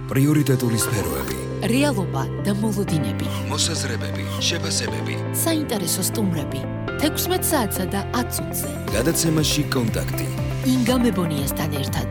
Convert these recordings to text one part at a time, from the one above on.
პრიორიტეტული სფეროები, რეალობა და მოლოდინები, მოსაზრებები, შეფასებები, საინტერესო სტუმრები, 16 საათსა და 10 წუთზე. გადაცემაში კონტაქტი. ინგა მებონიასთან ერთად.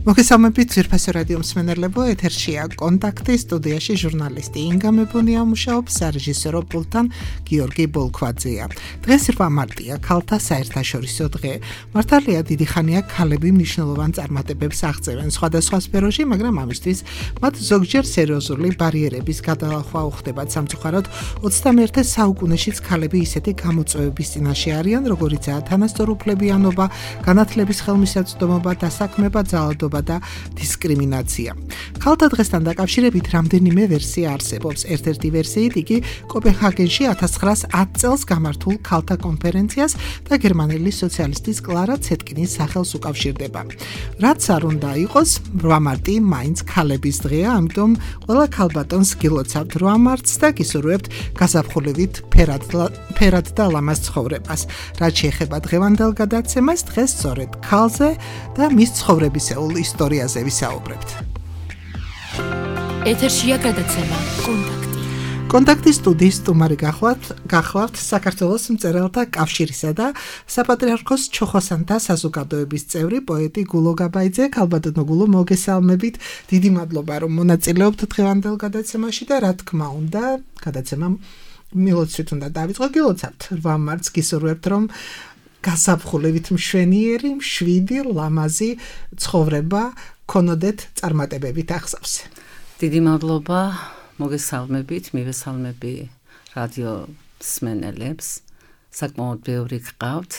მოგესალმებით ძვირფასო რადიო მსმენელებო, ეთერშია კონტაქტი, სტუდიაში ჟურნალისტი ინგა მებონია მუშაობს, სარეჟისორო პულტთან გიორგი ბოლქვაძეა. დღეს 8 მარტია, ქალთა საერთაშორისო დღე. მართალია დიდი ხანია ქალები მნიშვნელოვან წარმატებებს აღწევენ სხვადასხვა სფეროში, მაგრამ ამისთვის მათ ზოგჯერ სერიოზული ბარიერების გადალახვა უხდებათ. სამწუხაროდ 21 საუკუნეშიც ქალები ისეთი გამოწვევების წინაშე არიან, როგორიცაა თანასწორუფლებიანობა, განათლების ხელმისაწვდომობა, დასაქმება, ძალადობა და დისკრიმინაცია. ქალთა დღესთან დაკავშირებით რამდენიმე ვერსია არსებობს. ერთ-ერთი ვერსიით იგი კოპენჰაგენში 1910 წელს გამართულ ქალთა კონფერენციას და გერმანელი სოციალისტის კლარა ცეტკინის სახელს უკავშირდება. რაც არ უნდა იყოს, 8 მარტი მაინც ქალების დღეა, ამიტომ ყველა ქალბატონს გილოცავთ 8 მარტს და გისურვებთ გაზაფხულივით ფერად და ლამაზ ცხოვრებას. რაც შეეხება დღევანდელ გადაცემას, დღეს სწორედ ქალზე და მის ცხოვრებისეულ ისტორიაზე ვისაუბრებთ. ეთერშია გადაცემა კონტაქტი. კონტაქტის სტუდიის სტუმარი გახლავთ საქართველოს მწერალთა კავშირისა და საპატრიარქოს ჩოხოსანთა საზოგადოების წევრი პოეტი გულო გაბაიძე. ქალბატონო გულო, მოგესალმებით. დიდი მადლობა რომ მონაწილეობთ დღევანდელ გადაცემაში და რა თქმა უნდა, გადაცემა მილოცვით უნდა დავიწყო. გილოცავთ 8 მარტს, გისურვებთ რომ გაზაფხულებით მშვენიერი, მშვიდი, ლამაზი ცხოვრება ქონოდეთ წარმატებებით ახსავსე. დიდი მადლობა, მოგესალმებით, მივესალმები რადიო მსმენელებს. საკმაოდ ბევრი გყავთ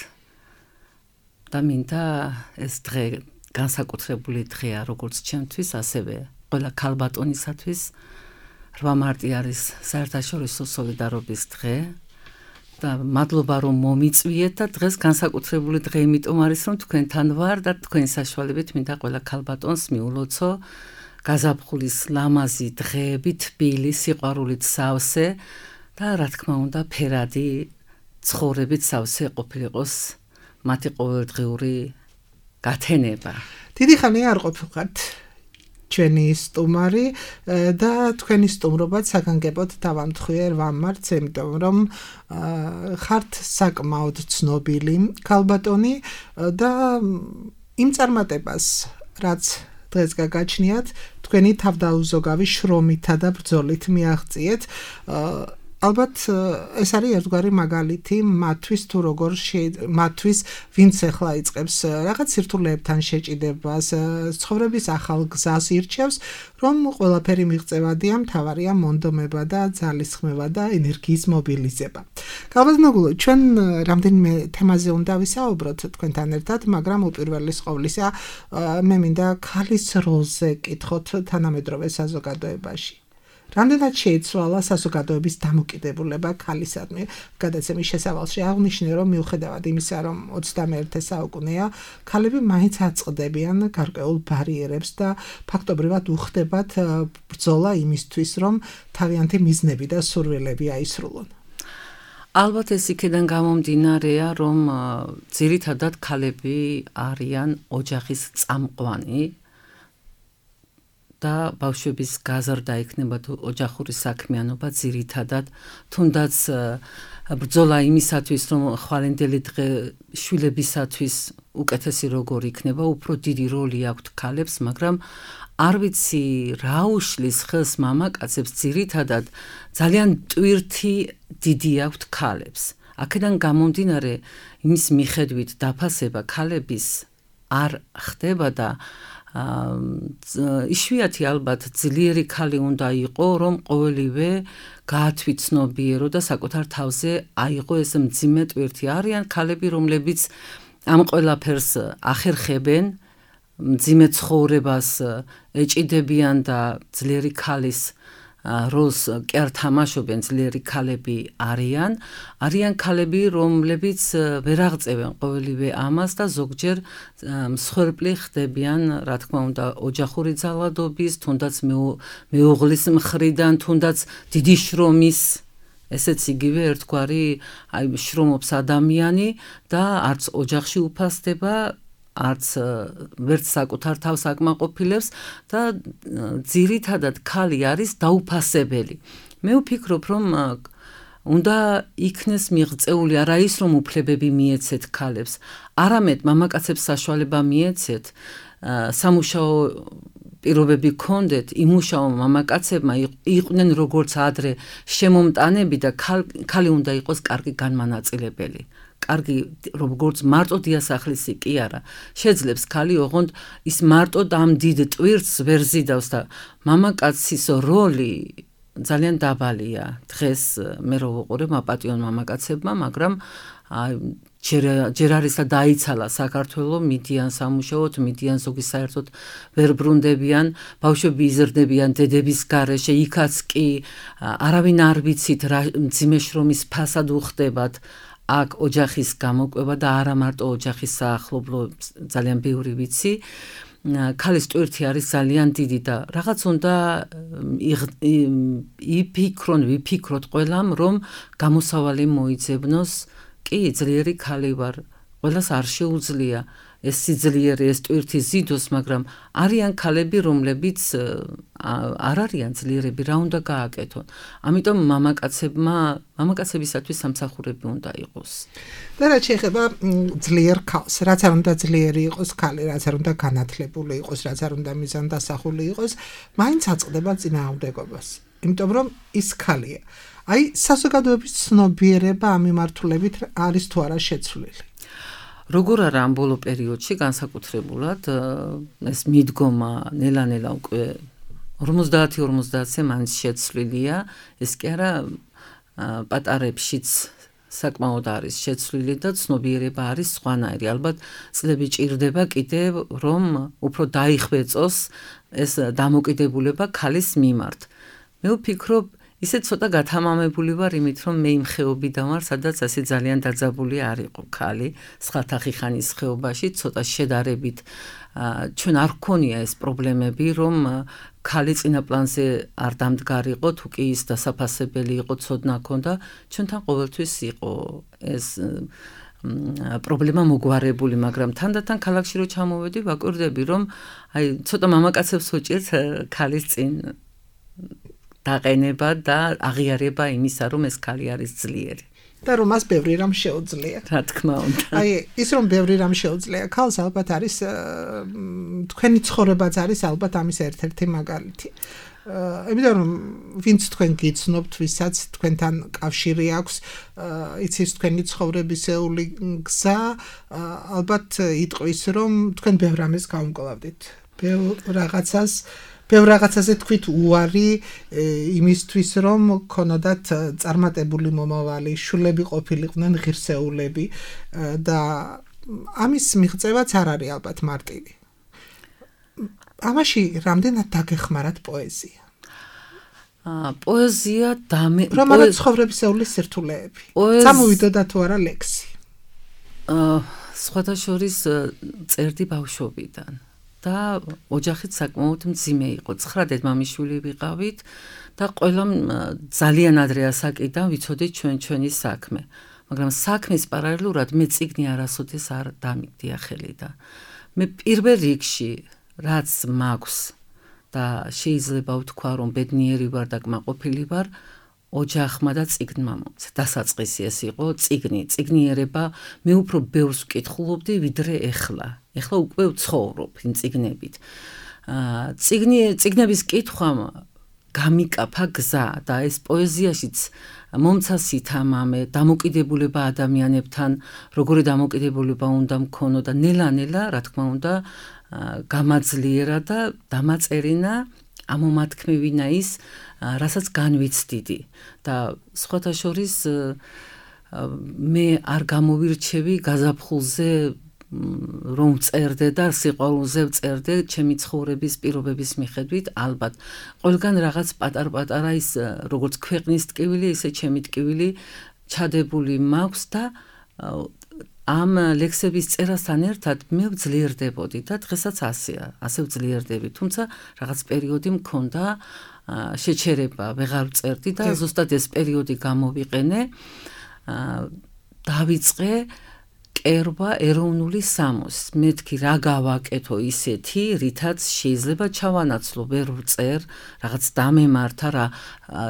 და მინდა ეს დღე განსაკუთრებული დღეა როგორც ჩემთვის, ასევე ყველა ქალბატონისათვის. 8 მარტი არის საერთაშორისო სოლიდარობის დღე. და მადლობა რომ მომიწვიეთ და დღეს განსაკუთრებული დღე იმიტომ არის რომ თქვენთან ვარ და თქვენი საშუალებით მინდა ყველა ქალბატონს მიულოცო გაზაფხულის ლამაზი დღეები, თბილი, სიყვარულით სავსე და რა თქმა უნდა ფერადი ცხოვრებით სავსე ყოფილიყოს მათი ყოველდღიური გათენება. დიდი ხანია არ ყოფილიყართ ჩვენი სტუმარი და თქვენი სტუმრობაც საგანგებოდ დავამთხვიე 8 მარტს, იმიტომ რომ ხართ საკმაოდ ცნობილი ქალბატონი და იმ წარმატებას, რაც დღეს გაგაჩნიათ, თქვენი თავდაუზოგავი შრომითა და ბრძოლით მიაღწიეთ. ალბათ ეს არის ერთგვარი მაგალითი მათთვის თუ როგორ მათთვის ვინც ახლა იწყებს რაღაც სირთულეებთან შეჭიდებას, ცხოვრების ახალ გზას ირჩევს, რომ ყველაფერი მიღწევადია, მთავარია მონდომება და ძალისხმევა და ენერგიის მობილიზება. ქალბატონო გულო, ჩვენ რამდენიმე თემაზე უნდა ვისაუბროთ თქვენთან ერთად, მაგრამ უპირველეს ყოვლისა მე მინდა ქალის როლზე კითხოთ თანამედროვე საზოგადოებაში. რამდენად შეიცვალა საზოგადოების დამოკიდებულება ქალისადმი? გადაცემის შესავალში აღნიშნე, რომ მიუხედავად იმისა, რომ 21 საუკუნეა, ქალები მაინც აწყდებიან გარკვეულ ბარიერებს და ფაქტობრივად უხდებათ ბრძოლა იმისთვის, რომ თავიანთი მიზნები და სურვილები აისრულონ. ალბათ ეს იქიდან გამომდინარეა, რომ ძირითადად ქალები არიან ოჯახის წამყვანი და ბავშვების გაზრდა იქნება თუ ოჯახური საქმიანობა ძირითადად, თუნდაც ბრძოლა იმისათვის, რომ ხვალინდელი დღე შვილებისათვის უკეთესი როგორ იქნება, უფრო დიდი როლი აქვთ ქალებს, მაგრამ არ ვიცი რა უშლის ხელს მამაკაცებს, ძირითადად ძალიან ტვირთი დიდი აქვთ ქალებს. აქედან გამომდინარე იმის მიხედვით დაფასება ქალების არ ხდება და იშვიათი ალბათ ძლიერი ქალი უნდა იყო, რომ ყოველივე გაათვითცნობიერო და საკუთარ თავზე აიღო ეს მძიმე ტვირთი. არიან ქალები, რომლებიც ამ ყველაფერს ახერხებენ, მძიმე ცხოვრებას ეჭიდებიან და ძლიერი ქალის როლს კი არ თამაშობენ, ძლიერი ქალები არიან ქალები, რომლებიც ვერ აღწევენ ყოველივე ამას და ზოგჯერ მსხვერპლი ხდებიან, რა თქმა უნდა, ოჯახური ძალადობის, თუნდაც მეუღლის მხრიდან, თუნდაც დიდი შრომის, ესეც იგივე ერთგვარი შრომობს ადამიანი და არც ოჯახში უფასდება არც ვერც საკუთარ თავს აკმაყოფილებს და ძირითადად ქალი არის დაუფასებელი. მე ვფიქრობ, რომ უნდა იქნეს მიღწეული არა ის, რომ უფლებები მიეცეთ ქალებს, არამედ მამაკაცებს საშუალება მიეცეთ სამუშაო პირობები გქონდეთ, იმუშაო მამაკაცებმა იყვნენ როგორც ადრე შემომტანები და ქალი უნდა იყოს კარგი განმანაწილებელი. კარგი როგორც მარტო დიასახლისი კი არა. შეძლებს ქალი ოღონდ ის მარტო ამ დიდ ტვირთს ვერ ზიდავს და მამაკაცის როლი ძალიან დაბალია. დღეს მე რო ვუყურებ მაპატიონ მამაკაცებმა, მაგრამ ჯერ არის და დაიცალა საქართველო, მიდიან სამუშაოდ, მიდიან ზოგი საერთოდ ვერ ბრუნდებიან, ბავშვები იზრდებიან დედების გარეშე, იქაც კი არავინ არ ვიცით რა მძიმე შრომის ფასად უხდებათ. აქ ოჯახის გამოკვება და არა მარტო ოჯახის საახლობლო ძალიან ბევრი ვიცი. ქალის ტვირთი არის ძალიან დიდი და რაღაც უნდა ვიფიქროთ ყველამ, რომ გამოსავალი მოიძებნოს. კი, ძლიერი ქალი ვარ, ყველას არ შეუძლია ეს სიძლიერე, ეს ტვირთი ზიდოს, მაგრამ არიან ქალები, რომლებიც არ არიან ძლიერები, რა უნდა გააკეთონ. ამიტომ მამაკაცებისათვის სამსახურები უნდა იყოს. და რაც შეეხება ძლიერ ქალს, რაც არ უნდა ძლიერი იყოს ქალი, რაც არ უნდა განათლებული იყოს, რაც არ უნდა მიზანდასახული იყოს, მაინც აწყდება წინააღმდეგობას. იმიტომ რომ ის ქალია. აი, საზოგადოების ცნობიერება ამ მიმართულებით არის თუ არა შეცვლილი? როგორ არა ამ ბოლო პერიოდში განსაკუთრებულად ეს მიდგომა ნელა-ნელა უკვე 50-50-ზე მაინც შეცვლილია, ეს კი არა პატარებშიც საკმაოდ არის შეცვლილი და ცნობიერება არის სხვანაირი. ალბათ წლები ჭირდება კიდევ, რომ უფრო დაიხვეწოს ეს დამოკიდებულება ქალის მიმართ. მე ვფიქრობ, ისე ცოტა გათამამებული ვარ იმით, რომ მე იმ ხეობიდან ვარ, სადაც ასე ძალიან დაძაბული არ იყო ქალი, სხვათა ხიხანის ხეობაში, ცოტა შედარებით ჩვენ არ გქონია ეს პრობლემები, რომ ქალი წინაპლანზე არ დამდგარიყო, თუ კი ის დასაფასებელი იყო, ცოდნა ჰქონდა, ჩვენთან ყოველთვის იყო ეს პრობლემა მოგვარებული, მაგრამ თანდათან ქალაქში რო ჩამოვედი, ვაკვირდები, რომ აი ცოტა მამაკაცებს უჭირთ ქალის წინ დაყენება და აღიარება იმისა, რომ ეს ქალი არის ძლიერი. და რომ მას ბევრი რამ შეუძლია. რა თქმა უნდა. აი, ის რომ ბევრი რამ შეუძლია ქალს, ალბათ არის თქვენი ცხოვრებაც არის ალბათ ამის ერთ-ერთი მაგალითი. იმიტომ რომ ვინც თქვენ გიცნობთ, ვისაც თქვენთან კავშირი აქვს, იცის თქვენი ცხოვრებისეული გზა, ალბათ იტყვის, რომ თქვენ ბევრ რამეს გაუმკლავდით. ბევრ რაღაცაზე თქვით უარი იმისთვის, რომ ქონოდათ წარმატებული მომავალი, შვილები ყოფილიყვნენ ღირსეულები და ამის მიღწევაც არ არის ალბათ მარტივი. ამაში რამდენად დაგეხმარათ პოეზია? პოეზია რომ არა ცხოვრებისეული სირთულეები. წამოვიდოდა თუ არა ლექსი? სხვათა შორის წერდი ბავშვობიდან. და ოჯახით საკმაოდ მძიმე იყო. 9 დედმამიშვილი ვიყავით და ყველამ ძალიან ადრე ასაკიდან ვიცოდით ჩვენი საქმე. მაგრამ საქმის პარალელურად მე წიგნი არასოდეს არ დამიგდია ხელი და მე პირველ რიგში რაც მაქვს და შეიძლება ვთქვა რომ ბედნიერი ვარ და კმაყოფილი ვარ, ოჯახმა და წიგნმა მომცა. დასაწყისი ეს იყო წიგნიერება. მე უფრო ბევრს ვკითხულობდი ვიდრე ეხლა. ეხლა უკვე ვცხოვრობ იმ წიგნებით. წიგნების კითხვამ გამიკაფა გზა და ეს პოეზიაშიც მომცა სითამამე, დამოკიდებულება ადამიანებთან, როგორი დამოკიდებულება უნდა მქონო და ნელა-ნელა, რა თქმა უნდა, გამაძლიერა და დამაწერინა ამომათქმევინა ის, რასაც განვიცდიდი და სხვათა შორის მე არ გამოვირჩევი გაზაფხულზე რომ წერდე და სიყვარულზე წერდე ჩემი ცხოვრების პირობების მიხედვით, ალბათ ყველგან რაღაც პატარ-პატარა ის როგორც ქვეყნის ტკივილი, ისე ჩემი ტკივილი ჩადებული მაქვს და ამ ლექსების წერასთან ერთად მე ვძლიერდებოდი და დღესაც ასეა, ასე ვძლიერდები, თუმცა რაღაც პერიოდი მქონდა შეჩერება, ვეღარ ვწერდი და ზუსტად ეს პერიოდი გამოვიყენე, დავიწყე მკერვა ეროვნული სამოსის. მეთქი რა გავაკეთო ისეთი, რითაც შეიძლება ჩავანაცვლო, ვერ ვწერ, რაღაც დამემართა რა,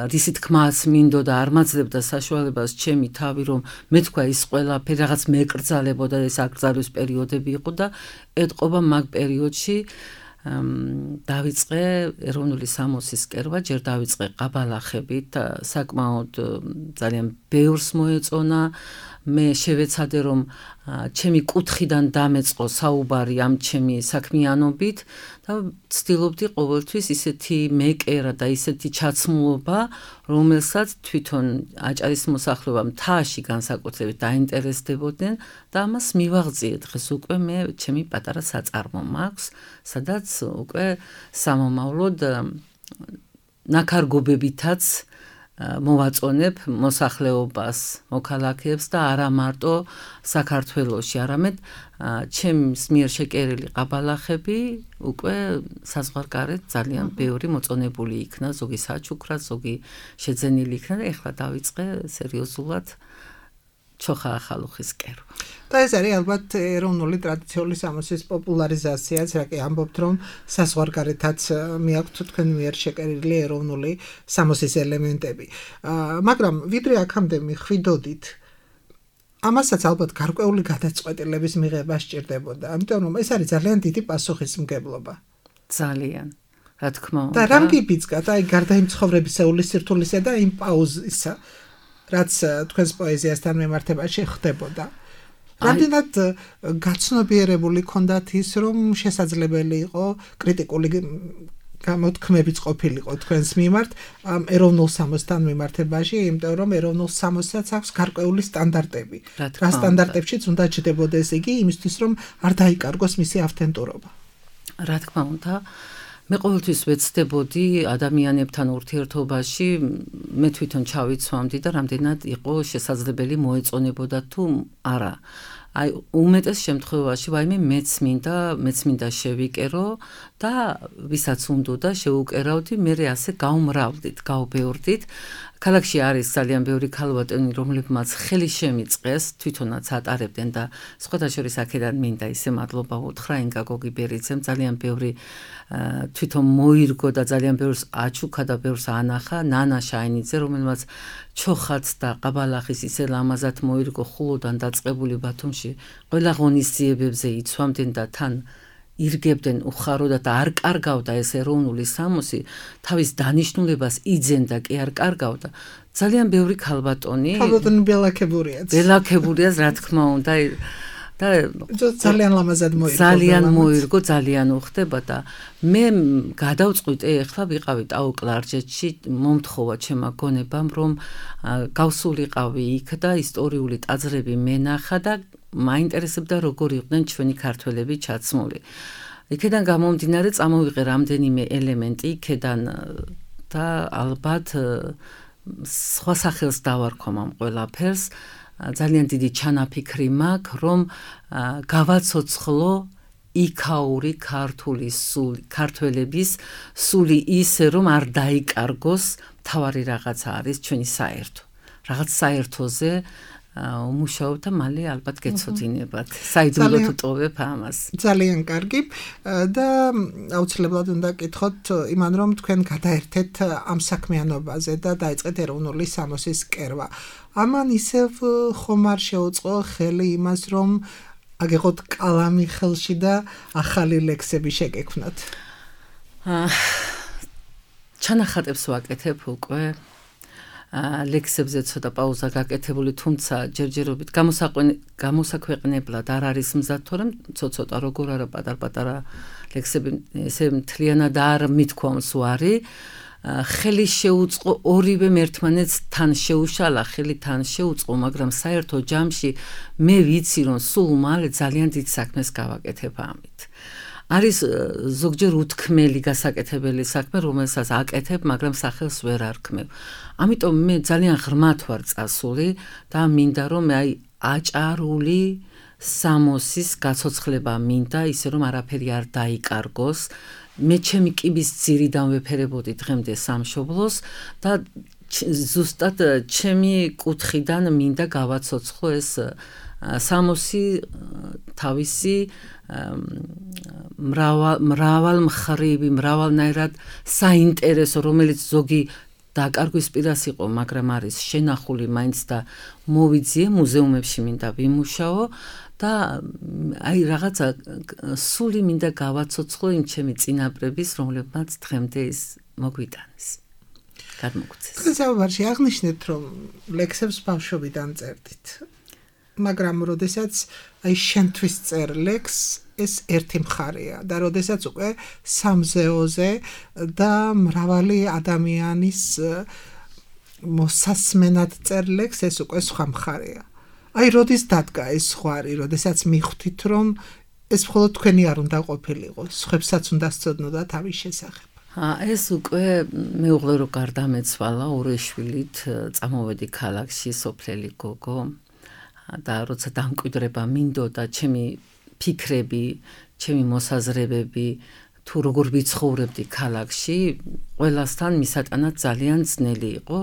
რისი თქმაც მინდოდა, არ მაძლევდა საშუალებას ჩემი თავი, რომ მე თქვა ის ყველაფერი რაღაც მეკრძალებოდა, ეს აკრძალვის პერიოდები იყო და ეთყობა მაგ პერიოდში დავიწყე ეროვნული სამოსის კერვა, ჯერ დავიწყე ყაბალახებით, საკმაოდ ძალიან ბევრს მოეწონა. მე შევეცადე რომ ჩემი კუთხიდან დამეწყო საუბარი ამ ჩემი საქმიანობით და ვცდილობდი ყოველთვის ისეთი მეკერა და ისეთი ჩაცმულობა, რომელსაც თვითონ აჭარის მოსახლეობა მთაში განსაკუთრებით დაინტერესდებოდნენ და ამას მივაღწიე. დღეს უკვე მე ჩემი პატარა საწარმო მაქვს, სადაც უკვე სამომავლოდ ნაქარგობებითაც მოვაწონებ მოსახლეობას, მოქალაქეებს და არა მარტო საქართველოში, არამედ ჩემს მიერ შეკერილი ყაბალახები უკვე საზღვარგარეთ ძალიან ბევრი მოწონებული იქნა, ზოგი საჩუქრად, ზოგი შეძენილი იქნა და ეხლა დავიწყე სერიოზულად ჩოხა ახალუხის კერვა. და ეს არის ალბათ ეროვნული ტრადიციული სამოსის პოპულარიზაციაც, რა კი ამბობთ, რომ საზღვარგარეთაც მიაქვთ თქვენ მიერ შეკერილი ეროვნული სამოსის ელემენტები. მაგრამ ვიდრე აქამდე მიხვიდოდით, ამასაც ალბათ გარკვეული გადაწყვეტილების მიღება სჭირდებოდა, ამიტომ რომ ეს არის ძალიან დიდი პასუხისმგებლობა. ძალიან, რა თქმა უნდა. და რამ გიბიძგათ, აი გარდა იმ ცხოვრებისეული სირთულისა და იმ პაუზისა, რაც თქვენს პოეზიასთან მიმართებაში ხდებოდა. რამდენად გაცნობიერებული ქონდათ ის, რომ შესაძლებელი იყო კრიტიკული გამოთქმებიც ყოფილიყო თქვენს მიმართ ამ ეროვნულ სამოსთან მიმართებაში, იმიტომ რომ ეროვნულ სამოსაც აქვს გარკვეული სტანდარტები. რა სტანდარტებშიც უნდა ჯდებოდეს იგი იმისთვის, რომ არ დაიკარგოს მისი ავთენტურობა. რა თქმა უნდა, მე ყოველთვის ვეცდებოდი ადამიანებთან ურთიერთობაში, მე თვითონ ჩავიცვამდი და რამდენად იყო შესაძლებელი მოეწონებოდა თუ არა. აი უმეტეს შემთხვევაში ვაიმე მეც მინდა შევიკერო და ვისაც უნდოდა შეუკერავდი, მე ასე გავმრავლდით, გავბეორდით. ქალაქში არის ძალიან ბევრი ქალბატონი, რომლებმაც ხელი შემიწყეს, თვითონაც ატარებდნენ და სხვათა შორის აქედან მინდა ისე მადლობა უთხრა ინგა გოგიბერიძემ, ძალიან ბევრი თვითონ მოირგო და ძალიან ბევრს აჩუქა და ბევრს ანახა, ნანა შაინიძე, რომელმაც ჩოხაც და ყაბალახის ისე ლამაზად მოირგო ხულოდან დაწყებული ბათუმში, ყველა ღონისძიებებზე იცვამდნენ და თან ირგებდნენ უხაროდათ და არ კარგავდა ეს ეროვნული სამოსი, თავის დანიშნულებას იძენდა კი არ კარგავდა. ძალიან ბევრი ქალბატონი ბელაქებურიაც, რა თქმა უნდა, და ძალიან ლამაზად მოირგო. ძალიან მოირგო, ძალიან უხდება და მე გადავწყვიტე, ეხლა ვიყავი ტაო კლარჯეთში, მომთხოვა ჩემმა გონებამ, რომ გავსულიყავი იქ და ისტორიული ტაძრები მენახა და მაინტერესებდა როგორ იყვნენ ჩვენი ქართველები ჩაცმული. იქედან გამომდინარე წამოვიღე რამდენიმე ელემენტი იქედან და ალბათ სხვა სახელს დავარქვამ ამ ყველაფერს. ძალიან დიდი ჩანაფიქრი მაქვს, რომ გავაცოცხლო იქაური ქართველების სული ისე, რომ არ დაიკარგოს, თავარი რაღაცა არის ჩვენი საერთო. რაღაც საერთოზე უმუშაობ და მალე ალბათ გეცოდინებათ. საიდუმლოდ უტოვებ ამას. ძალიან კარგი და აუცილებლად უნდა გკითხოთ იმან, რომ თქვენ გადაერთეთ ამ საქმიანობაზე და დაიწყეთ ეროვნული სამოსის კერვა. ამან ისევ ხომ არ შეუწყო ხელი იმას, რომ აგეღოთ კალამი ხელში და ახალი ლექსები შეგექმნათ? ჩანახატებს ვაკეთებ უკვე. ლექსებზე ცოტა პაუზა გაკეთებული, თუმცა ჯერჯერობით გამოსაქვეყნებლად არ არის მზად, თორემ ცოტა როგორ არა პატარ-პატარა ლექსები ესე მთლიანად არ მithქვამს ვარი. ხელი შეუწყო ორივე ერთმანეთს თან შეუშალა, ხელი თან შეუწყო, მაგრამ საერთო ჯამში მე ვიცი, რომ სულ მალე ძალიან დიდ საქმეს გავაკეთებ ამით. არის ზოგჯერ უთქმელი გასაკეთებელი საქმე, რომელსაც აკეთებ, მაგრამ სახელს ვერ არქმევ. ამიტომ მე ძალიან ღრმად ვარ წასული და მინდა რომ აი აჭარული სამოსის გაცოცხლება მინდა, ისე რომ არაფერი არ დაიკარგოს. მე ჩემი კიბის ძირიდან ვეფერებოდი დღემდე სამშობლოს და ზუსტად ჩემი კუთხიდან მინდა გავაცოცხლო ეს სამოსი თავისი მრავალმხრივი, მრავალნაირად საინტერესო, რომელიც ზოგი დაკარგვის პირას იყო, მაგრამ არის შენახული მაინც და მოვიძიე მუზეუმებში მინდა ვიმუშაო და აი რაღაცა სული მინდა გავაცოცხლო იმ ჩემი წინაპრების, რომლებმაც დღემდე ის მოგვიტანეს. გადმოგცეს. საუბარში აღნიშნეთ, რომ ლექსებს ბავშვობიდან წერდით. მაგრამ როდესაც აი შენთვის წერ ლექსს ეს ერთი მხარეა და როდესაც უკვე სამზეოზე და მრავალი ადამიანის მოსასმენად წერ ლექსს ეს უკვე სხვა მხარეა. აი როდის დადგა ეს ზღვარი, როდესაც მიხვდით რომ ეს მხოლოდ თქვენი არ უნდა ყოფილიყო, სხვებსაც უნდა სწოდნოდა თავის შესახებ. ეს უკვე მეუღლე რო გარდამეცვალა ორი შვილით წამოვედი ქალაქში სოფლელი გოგო და როცა დამკვიდრება მინდოდა ჩემი ფიქრები, ჩემი მოსაზრებები თუ როგორ ვიცხოვრებდი ქალაქში, ყველასთან მისატანად ძალიან ძნელი იყო.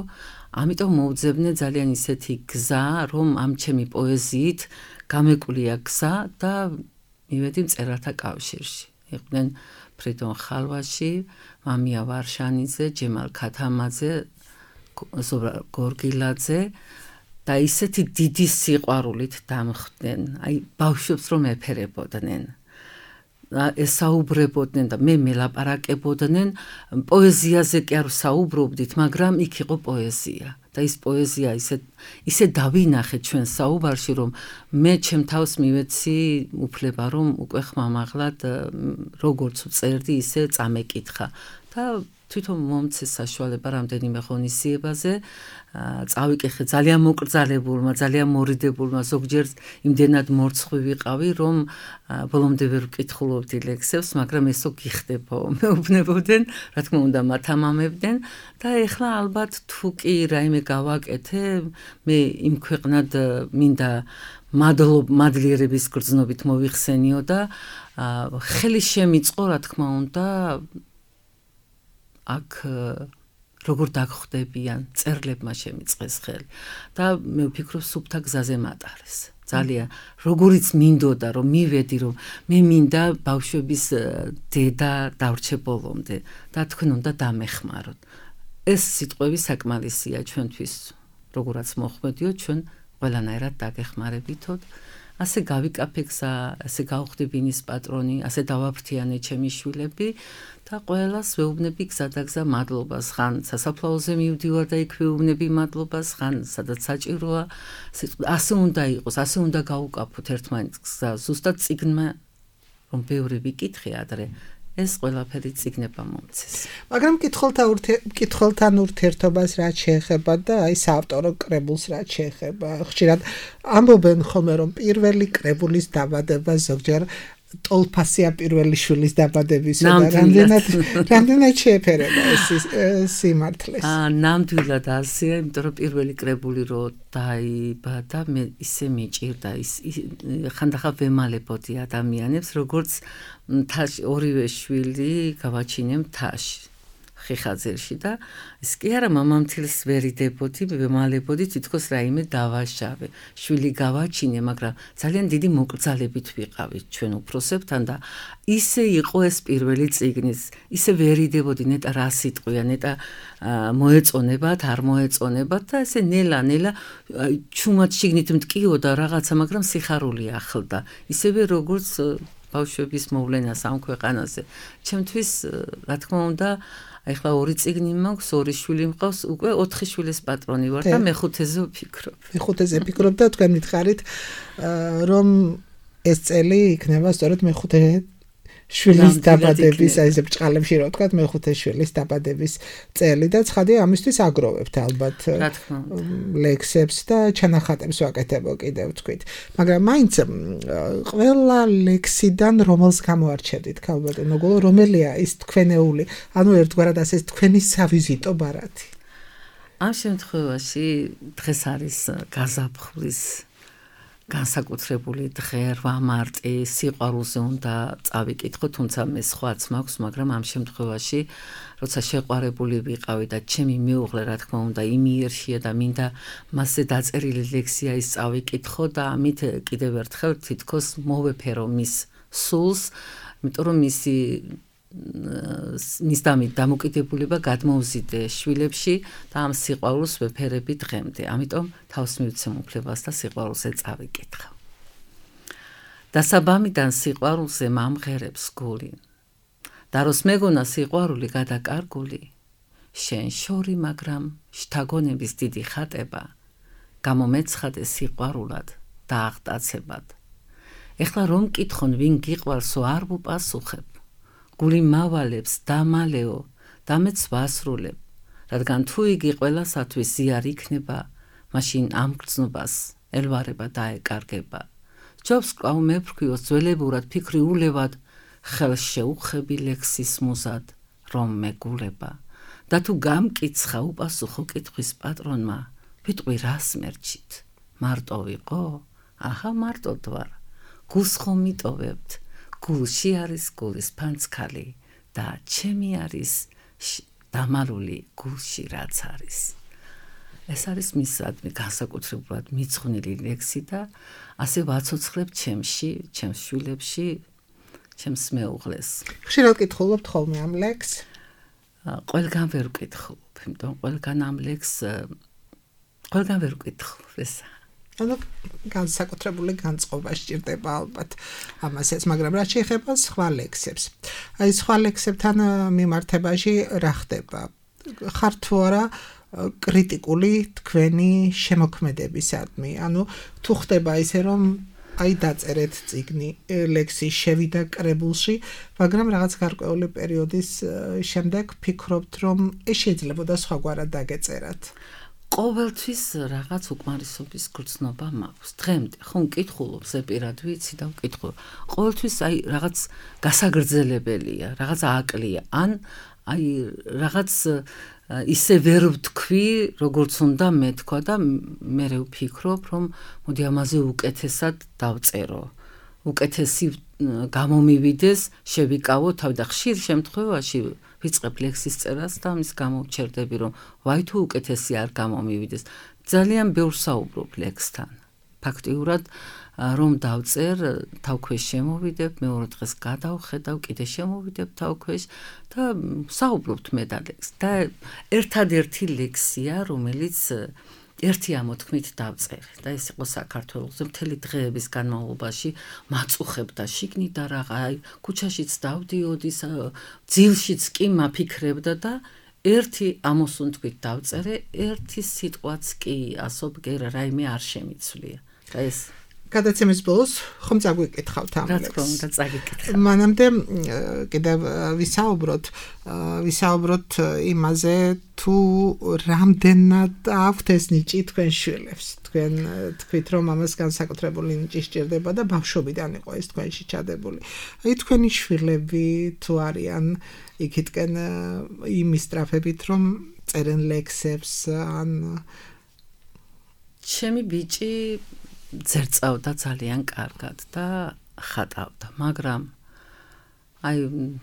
ამიტომ მოვძებნე ძალიან ისეთი გზა, რომ ამ ჩემი პოეზიით გამეკვлия გზა და მივედი მწერალთა კავშირში. იყვნენ ფრიდონ ხალვაში, მამია ვარშანიძე, ჯემალ ქათამაძე, ზურაბ გორგილაძე და ისეთი დიდი სიყვარულით დამხვდნენ, აი ბავშვებს რომ ეფერებოდნენ. ესაუბრებოდნენ და მე მელაპარაკებოდნენ, პოეზიაზე კი არ საუბრობდით, მაგრამ იქ იყო პოეზია. და ის პოეზია ისე დავინახე ჩვენ საუბარში, რომ მე ჩემ თავს მივეცი უფლება, რომ უკვე ხმამაღლად როგორც წერდი, ისე წამეკითხა და თვითონ მომცეს საშუალება რამდენიმე ღონისძიებაზე წავიკითხე ძალიან მოკრძალებულმა, ძალიან მორიდებულმა, ზოგჯერ იმდენად მორცხვი ვიყავი, რომ ბოლომდე ვერ ვკითხულობდი ლექსებს, მაგრამ ესო გიხდებო, მეუბნებოდნენ, რა თქმა უნდა მათამამებდნენ და ეხლა ალბათ თუ კი რაიმე გავაკეთე, მე იმ ქვეყნად მინდა მადლიერების გრძნობით მოვიხსენიო და ხელი შემიწყო, რა თქმა უნდა, აქ როგორ დაგხვდებიან, წერლებმა შემიწყეს ხელი და მე ვფიქრობ სუფთა გზაზე მატარეს. ძალიან როგორიც მინდოდა რომ მივედი, რომ მე მინდა ბავშვების დედა დავრჩე ბოლომდე და თქვენ უნდა დამეხმაროთ. ეს სიტყვები საკმარისია ჩვენთვის, როგორაც მოხმედიო, ჩვენ ყველანაირად დაგეხმარებითო. ასე გავიკაფე გზა, ასე გავხდი ბინის პატრონი, ასე დავაფრთიანე ჩემი შვილები და ყველას ვეუბნები გზადაგზა მადლობას, ხან სასაფლაოზე მივდივარ და იქ ვეუბნები მადლობას, ხან სადაც საჭიროა, ასე უნდა იყოს, ასე უნდა გავუკაფოთ ერთმანეთს გზა. ზუსტად წიგნმა რომ ბევრი ვიკითხე ადრე, ეს ყველაფერი წიგნებმა მომცეს. მაგრამ კითხველთან ურთიერთობას რაც შეეხება და აი საავტორო კრებულს რაც შეეხება, ხშირად ამბობენ ხოლმე რომ პირველი კრებულის დაბადება ზოგჯერ ტოლფასია პირველი შვილის დაბადებისა და რამდენად შეეფერება ეს სიმართლეს. ნამდვილად ასეა, იმიტომ რომ პირველი კრებული რო დაიბადა, მე ისე მიჭირდა, ხანდახან ვემალებოდი ადამიანებს, როგორც ორივე შვილი გავაჩინე მთაში. ხიხაძერში და ის კი არა მამამთილს ვერიდებოდი, ვემალებოდი თითქოს რაიმე დავაშავე. შვილი გავაჩინე, მაგრამ ძალიან დიდი მოკრძალებით ვიყავით ჩვენ უფროსებთან და ისე იყო ეს პირველი წიგნის, ისე ვერიდებოდი ნეტა რა სიტყვია, ნეტა მოეწონებათ, არ მოეწონებათ და ესე ნელა ჩუმად შიგნით მტკიოდა რაღაცა, მაგრამ სიხარული ახლდა. ისევე როგორც ბავშვების მოვლენას ამ ქვეყანაზე. ჩემთვის, რა თქმა უნდა, ახლა ორი წიგნი მაქვს, ორი შვილი მყავს, უკვე 4 შვილის პატრონი ვარ და მეხუთეზე ვფიქრობ. მეხუთეზე ვფიქრობ და თქვენ მითხარით, რომ ეს წელი იქნება სწორედ მეხუთე შვილის დაბადების, აი ესე ბრჭყალებში რო ვთქვათ, მეხუთე შვილის დაბადების წელი და ცხადია ამისთვის აგროვებთ ალბათ ლექსებს და ჩანახატებს ვაკეთებო კიდევ თქვით. მაგრამ მაინც ყველა ლექსიდან რომელს გამოარჩევდით, ქალბატონო გოგო, რომელია ის თქვენეული, ანუ ერთგვარად ასე თქვენი სავიზიტო ბარათი. ამ შემთხვევაში დღეს არის გაზაფხულის განსაკუთრებული დღე 8 მარტი სიყვარულზე უნდა წავიკითხო, თუმცა მე სხვაც მაქვს, მაგრამ ამ შემთხვევაში როცა შეყვარებული ვიყავი და ჩემი მეუღლე რა თქმა უნდა იმიერშია და მინდა მასზე დაწერილი ლექსია ის წავიკითხო და ამით კიდევ ერთხელ თითქოს მოვეფერო მის სულს, იმიტომ რომ მის დამოკიდებულება გადმოუზიდე შვილებში და ამ სიყვარულს ვეფერები დღემდე. ამიტომ თავს მივცემ უფლებას და სიყვარულზე წავიკითხავ. დასაბამიდან სიყვარულზე მამღერებს გული. და როს მეგონა სიყვარული გადაკარგული, შენ შორი, მაგრამ შთაგონების დიდი ხატება, გამომეცხადე სიყვარულად და აღტაცებად. ეხლა რომ მკითხონ ვინ გიყვარსო არ ვუპასუხებ. გული მავალებს დამალეო და მეც ვასრულებ, რადგან თუ იგი ყველასათვის ზიარ იქნება, მაშინ ამ გრძნობას ელვარება დაეკარგება. ჯობს კვლავ მეფრქვიოს ძველებურად ფიქრი ულევად, ხელს შეუხები ლექსის მუზად, რომ მეგულება. და თუ გამკიცხა უპასუხო კითხვის პატრონმა, ვიტყვი რას მერჩით? მარტო ვიყო? აჰა მარტოდ ვარ. გულს ხომ მიტოვებთ? გულში არის გულის ფანცქალი და ჩემი არის დამალული გულში რაც არის. ეს არის მისადმი განსაკუთრებულად მიძღვნილი ლექსი და ასე ვაცოცხლებ ჩემში, ჩემს შვილებში, ჩემს მეუღლეს. ხშირად კითხულობთ ხოლმე ამ ლექსს? ყველგან ვერ ვკითხულობ, იმიტომ ყველგან ამ ლექსს ყველგან ვერ ვკითხულობ ესა. ანუ განსაკუთრებული განწყობა სჭირდება ალბათ ამასაც, მაგრამ რაც შეეხება სხვა ლექსებს. აი სხვა ლექსებთან მიმართებაში რა ხდება? ხარ თუ არა კრიტიკული თქვენი შემოქმედებისადმი? ანუ თუ ხდება ისე რომ აი დაწერეთ წიგნი, ლექსი შევიდა კრებულში, მაგრამ რაღაც გარკვეული პერიოდის შემდეგ ფიქრობთ რომ შეიძლებოდა სხვაგვარად დაგეწერათ. ყოველთვის რაღაც უკმარისობის გრძნობა მაქვს. დღემდე ხომ მკითხულობ, ზეპირად ვიცი და ვკითხულობ. ყოველთვის აი რაღაც გასაგრძელებელია, რაღაც აკლია, ან აი რაღაც ისე ვერ ვთქვი, როგორც უნდა მეთქვა და მე ვფიქრობ, რომ მოდი ამაზე უკეთესად დავწერო. უკეთესი გამომივიდეს, შევიკავო თავი და ხშირ შემთხვევაში ვიწყებ ლექსის წერას და ამის გამო ვჩერდები, რომ ვაი თუ უკეთესი არ გამომივიდეს. ძალიან ბევრ საუბრობ ლექსთან. ფაქტიურად რომ დავწერ, თავქვეშ შემოვიდებ, მეორე დღეს გადავხედავ, კიდე შემოვიდებ თავქვეშ და საუბრობთ მე და ლექსს. და ერთადერთი ლექსია, რომელიც ერთი ამოთქმით დავწერე და ეს იყო საქართველოზე მთელი დღეების განმავლობაში მაწუხებდა შიგნით და რაღა აი ქუჩაშიც დავდიოდი, ძილშიც კი მაფიქრებდა და ერთი ამოსუნთქვით დავწერე, ერთი სიტყვაც კი ასობგერ რაიმე არ შემიცვლია. და ეს გადაცემის ბოლოს ხომ წაგვიკითხავთ ამ ლექსს? რა თქმა უნდა წაგიკითხავ. მანამდე კიდევ ვისაუბროთ იმაზე, თუ რამდენად აქვთ ეს ნიჭი თქვენ შვილებს. თქვენ თქვით, რომ ამას განსაკუთრებული ნიჭი სჭირდება და ბავშვობიდან იყო ეს თქვენში ჩადებული. აი თქვენი შვილები თუ არიან იქითკენ იმის ტრაფებით, რომ წერენ ლექსებს, ან ჩემი ბიჭი ძერწავდა ძალიან კარგად და ხატავდა, მაგრამ აი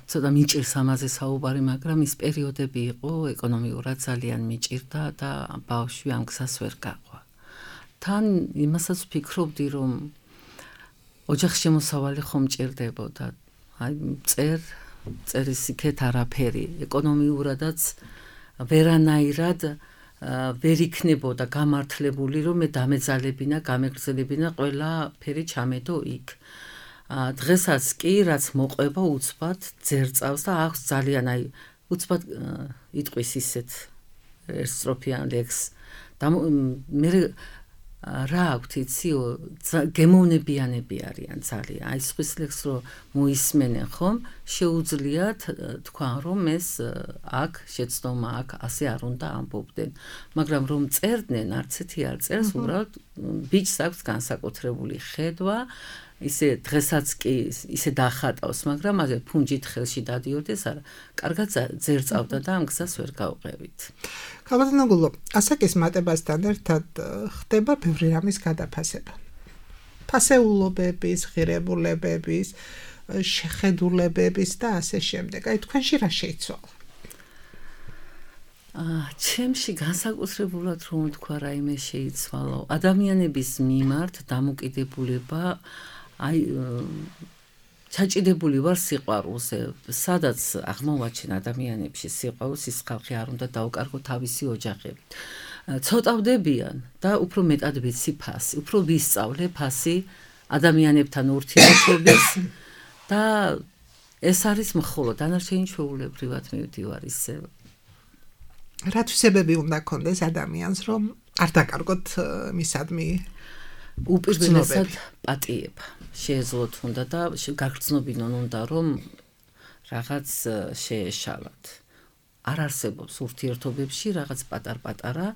ცოტა მიჭირს ამაზე საუბარი, მაგრამ ის პერიოდები იყო ეკონომიურად ძალიან მიჭირდა და ბავშვი ამ გზას ვერ გაყვა. თან იმასაც ვფიქრობდი, რომ ოჯახის შემოსავალი ხომ მჭირდებოდა. აი წერის იქეთ არაფერი, ეკონომიურადაც ვერანაირად ვერ იქნებოდა გამართლებული, რომ მე დამეძალებინა, გამეგრძელებინა ყველაფერი ჩამედო იქ. დღესაც კი რაც მოყვება უცბად ძერწავს და აქვს ძალიან აი უცბად იტყვის ისეთ სტროფიან ლექსს. და მე რა აქვთ იციო, გემოვნებიანები არიან ძალიან. აი სხვის ლექსს რო მოისმენენ ხომ, შეუძლიათ თქვა რომ ეს აქ შეცდომა აქ ასე არ უნდა ამბობდნენ. მაგრამ რომ წერდნენ, არც ერთი არ წერს, უბრალოდ ბიჭს აქვს განსაკუთრებული ხედვა, ისე დღესაც კი ისე დახატავს, მაგრამ ასე ფუნჯით ხელში დადიოდეს, არა, კარგად ძერწავდა და ამ გზას ვერ გავყევით. ქალბატონო გულო, ასაკის მატებასთან ერთად ხდება ბევრი რამის გადაფასება. ფასეულობების, ღირებულებების, შეხედულებების და ასე შემდეგ. აი თქვენში რა შეიცვალა? ჩემში განსაკუთრებულად რომ თქვა რაიმე შეიცვალა ადამიანების მიმართ დამოკიდებულება აი ჩაჭიდებული ვარ სიყვარულზე სადაც აღმოვაჩენ ადამიანებში სიყვარულს ის ხალხი არ უნდა დაუკარგო თავისი ოჯახებით ცოტავდებიან და უფრო მეტად ვიცი ფასი უფრო ვისწავლე ფასი ადამიანებთან ურთიერთობის და ეს არის მხოლოდ დანარჩენი ჩვეულებრივად მივდივარ ისე რა თვისებები უნდა ქონდეს ადამიანს რომ არ დაკარგოთ მისადმი უპირველესად პატიება შეეძლოთ უნდა და გაგრძნობინონ უნდა რომ რაღაც შეეშალათ არ არსებობს ურთიერთობებში რაღაც პატარ-პატარა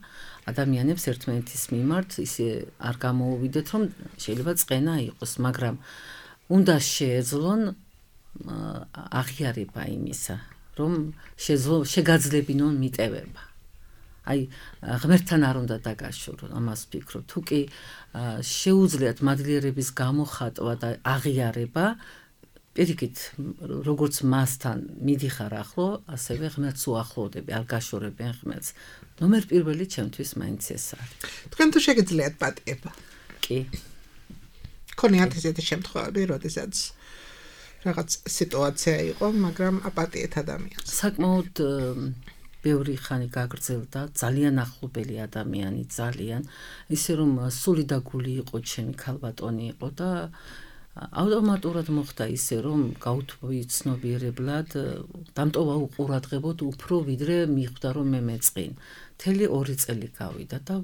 ადამიანებს ერთმანეთის მიმართ ისე არ გამოუვიდეთ რომ შეიძლება წყენა იყოს მაგრამ უნდა შეეძლონ აღიარება იმისა რომ შეგაძლებინონ მიტევება აი ღმერთთან არ უნდა დაგაშორონ ამას ვფიქრობ თუ კი შეუძლიათ მადლიერების გამოხატვა და აღიარება პირიქით როგორც მასთან მიდიხარ ახლო ასევე ღმერთს უახლოვდები არ გაშორებენ ღმერთს ნომერ პირველი ჩემთვის მაინც ეს არის თქვენ თუ შეგიძლიათ პატიება კი ქონიათ ესეთი შემთხვევები როდესაც რაღაც სიტუაცია იყო მაგრამ აპატიეთ ადამიანს საკმაოდ ბევრი ხანი გაგრძელდა ძალიან ახლობელი ადამიანი ძალიან ისე რომ სული და გული იყო ჩემი ქალბატონი იყო და ავტომატურად მოხდა ისე რომ გაუთმოვი ცნობიერებლად დამტოვა უყურადღებოდ უფრო ვიდრე მიხვდა რომ მე მეწყინ მთელი 2 წელი გავიდა და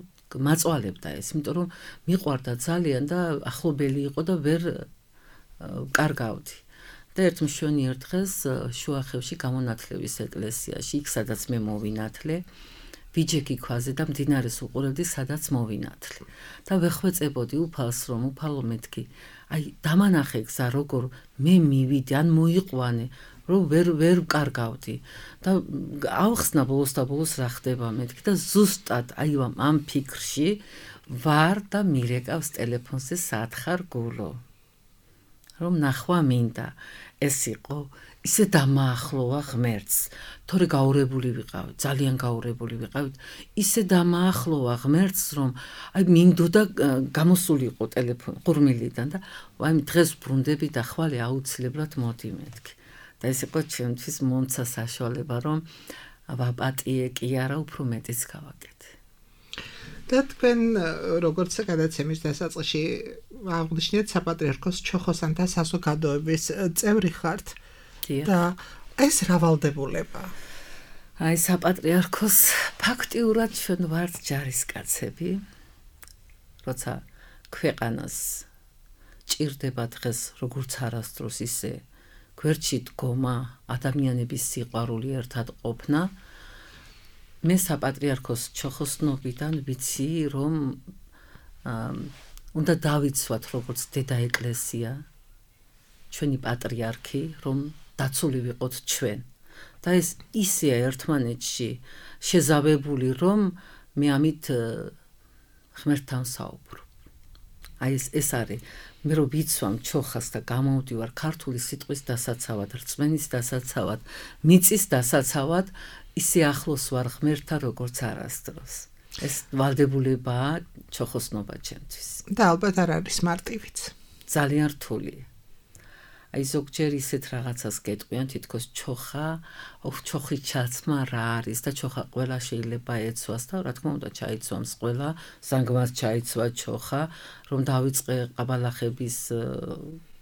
მაწვალებდა ეს იმიტომ რომ მიყვარდა ძალიან და ახლობელი იყო და ვერ კარგავდი და ერთ მშვენიერ დღეს შუახევში გამონათლების ეკლესიაში იქ სადაც მე მოვინათლე ვიჯექი ქვაზე და მდინარეს უყურებდი სადაც მოვინათლე და ვეხვეწებოდი უფალს რომ უფალო მეთქი აი დამანახე გზა როგორ მე მივიდე ან მოიყვანე რომ ვერ კარგავდი და ავხსნა ბოლოს და ბოლოს რა ხდება მეთქი და ზუსტად აი ამ ფიქრში ვარ და მირეკავს ტელეფონზე სათხარ გულო რომ ნახვა მინდა ეს იყო ისე დამაახლოვა ღმერთს თორე გაურებული ვიყავ ძალიან გაურებული ვიყავ ისე დამაახლოვა ღმერთს რომ აი მინდოდა გამოსულიყო ტელეფონი ყურმილიდან და აი დღეს ბრუნდები და ხვალე აუცილებლად მოდი მეთქი და ეს იყო ჩემთვის მომცა საშუალება რომ ვაპატიე კი არა უფრო მეტიც გავაკეთე და თქვენ როგორც გადაცემის დასაწყისში აღნიშნეთ საპატრიარქოს ჩოხოსანთა საზოგადოების წევრი ხართ და ეს რა ვალდებულება აი საპატრიარქოს ფაქტიურად ჩვენ ვართ ჯარისკაცები როცა ქვეყანას ჭირდება დღეს როგორც არასდროს ისე გვერდში დგომა ადამიანების სიყვარული ერთად ყოფნა მე საპატრიარქოს ჩოხოსნობიდან ვიცი რომ უნდა დავიცვათ როგორც დედა ეკლესია ჩვენი პატრიარქი რომ დაცული ვიყოთ ჩვენ და ეს ისეა ერთმანეთში შეზავებული რომ მე ამით ღმერთთან საუბრობ აი ეს არის მე რო ვიცვამ ჩოხას და გამოვდივარ ქართული სიტყვის დასაცავად რწმენის დასაცავად მიწის დასაცავად ისე ახლოს ვარ ღმერთთან როგორც არასდროს ეს ვალდებულებაა ჩოხოსნობა ჩემთვის და ალბათ არ არის მარტივიც ძალიან რთულია აი ზოგჯერ ისეთ რაღაცას გეტყვიან თითქოს ჩოხი ჩაცმა რა არის და ჩოხა ყველა შეიძლება ეცვას და რა თქმა უნდა ჩაიცვამს ყველა ზანგმას ჩაიცვა ჩოხა რომ დავიწყე ყაბალახების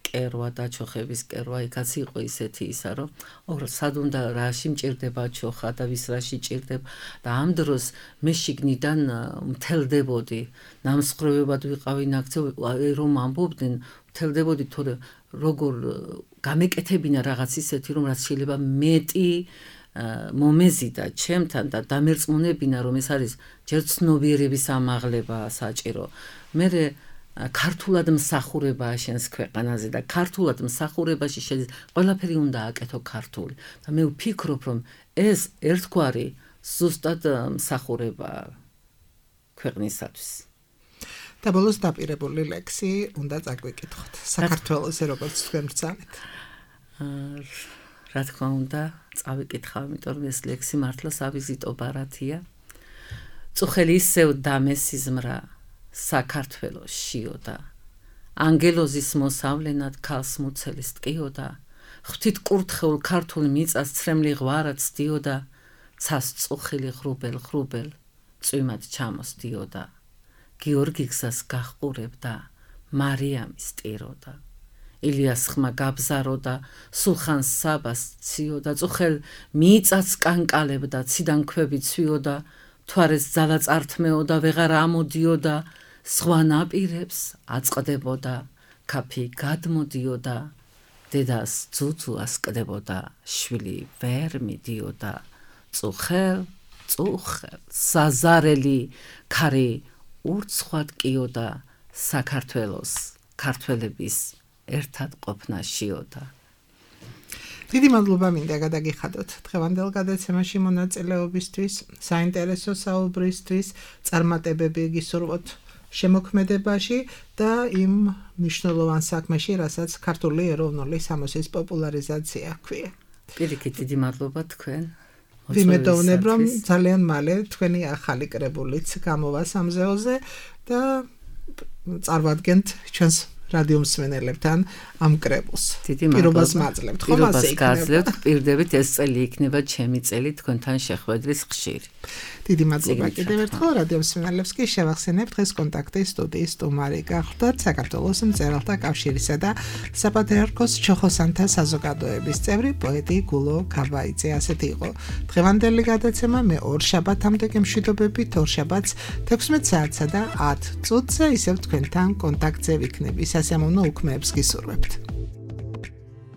კერვა და ჩოხების კერვა იქაც იყო ისეთი ისა რომ სად უნდა რაში მჭირდება ჩოხა და ვის რაში ჭირდება და ამ დროს მე შიგნიდან მთელდებოდი ნამსხვრევებად ვიყავი ნაქცევი რომ ამბობდნენ მთელდებოდი თორე როგორ გამეკეთებინა რაღაც ისეთი რომ რაც შეიძლება მეტი მომეზიდა ჩემთან და დამერწმუნებინა რომ ეს არის ჯერ ცნობიერების ამაღლება საჭირო მე ქართულად მსახურებაა შენს ქვეყანაზე და ქართულად მსახურებაში ყველაფერი უნდა აკეთო ქართული და მე ვფიქრობ რომ ეს ერთგვარი ზუსტად მსახურებაა ქვეყნისათვის და ბოლოს დაპირებული ლექსი უნდა წაგვიკითხოთ. საქართველოს როგორც თქვენ ბრძანეთ. რა თქმა უნდა, წავიკითხავ, იმიტომ რომ ეს ლექსი მართლა სავიზიტო ბარათია. წუხელი ისევ დამესიზმრა საქართველოს შიოდა. ანგელოზის მოსავლენად ქალს მუცელის ტკიოდა. ღვთით კურთხეულ ქართულ მიწას ცრემლი ღვარა ცდიოდა. ცას წუხილი ღრუბელ წვიმად ჩამოსდიოდა. გიორგი გზას გახყურებდა, მარიამის ტიროდა. ილიას ხმა გაბზაროდა, სულხანს საბას ციოდა. წუხელ მიწას კანკალებდა, ციდან ქვები ცვიოდა. თვარეს ძალა წართმეოდა, ვეღარ ამოდიოდა. სხვა ნაპირებს აწყდებოდა, ქაფი გადმოდიოდა. დედას ძუძუას კდებოდა, შვილი ვერ მიდიოდა. წუხელ საზარელი ქარი ურცხვად კიოდა. საქართველოს ქართველების ერთად ყოფნა შიოდა. დიდი მადლობა მინდა გადაგიხადოთ დღევანდელ გადაცემაში მონაწილეობისთვის, საინტერესო საუბრისთვის, წარმატებები გისურვოთ შემოქმედებაში და იმ მნიშვნელოვან საქმეში, რასაც ქართული ეროვნული სამოსის პოპულარიზაცია ჰქვია. პირიქით დიდი მადლობა თქვენ. ვიმედოვნებ, რომ ძალიან მალე თქვენი ახალი კრებულიც გამოვა სამზეოზე და წარვადგენთ ჩვენს რადიო მსმენელებთან ამ კრებულს. პირობას მაძლევთ, ხომ ასე იქნება? პირდებით ეს წელი იქნება ჩემი წელი თქვენთან შეხვედრის ხშირი. დიდი მადლობა კიდევ ერთხელ რადიო მსმენელებს კი შევახსენებთ დღეს კონტაქტი სტუდიის სტუმარი გახლდათ საქართველოს მწერალთა კავშირისა და საპატრიარქოს ჩოხოსანთა საზოგადოების წევრი პოეტი გულო ქაბაიძე. ასეთი იყო დღევანდელი გადაცემა. მე ორშაბათამდე გემშვიდობებით, ორშაბათს 16 საათსა და 10 წუთზე ისევ თქვენთან კონტაქტზე ვიქნები. სასიამოვნო უქმეებს გისურვებთ.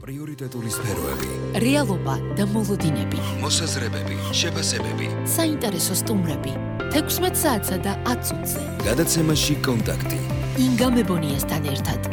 პრიორიტეტული სფეროები, რეალობა და მოლოდინები, მოსაზრებები, შეფასებები, საინტერესო სტუმრები 16 საათსა და 10 წუთზე. გადაცემაში კონტაქტი. ინგა მებონიასთან ერთად.